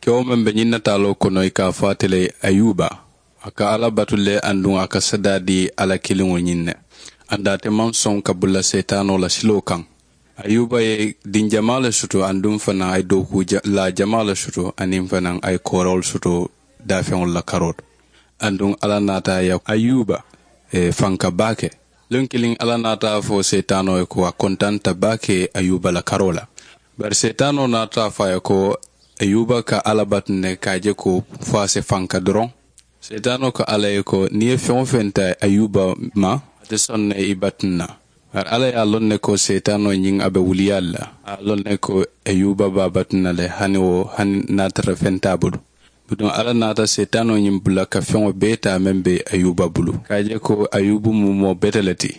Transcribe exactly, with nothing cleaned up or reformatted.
Kewo meŋ be ñiŋ nataaloo kono i ka a fo ate le ayuba. A ka alla batu le aduŋ a ka sadaa dii alla kiliŋo ñiŋ ne. Aduŋ ate maŋ soŋ ka bula seetaanoo la siloo kaŋ. Ayuba ye diŋ jamaa le soto aduŋ fanaa a ye dookuu laa jamaa le soto aniŋ fanaa a ye koorawolu soto daafeŋolu la karoo to. Aduŋ alla naata a ye ayuba fanka baake. Luŋ kiliŋ alla naata a fo seetaanoo ye ko a kontanta baake ayuba la karoo la. Bari seetaanoo naata a fo a ye ko ayuba ka alla batu ne ka a je ko fo a si fanka doroŋ. Seetaanoo ko alla ye ko niŋ i ye feŋ-wo-feŋ taa ayuba ma a te soŋ ne i batu na. Bari alla ye a loŋ ne ko seetaanoo ñiŋ a be wuliyaalu la a ye a loŋ ne ko ayuba be a batu na le hani wo hani niŋ a tara feŋ te a bulu. Bituŋ alla naata seetaanoo ñiŋ bula ka feŋo bee taa meŋ be ayuba bulu ka a je ko ayuba mu moo bete le ti.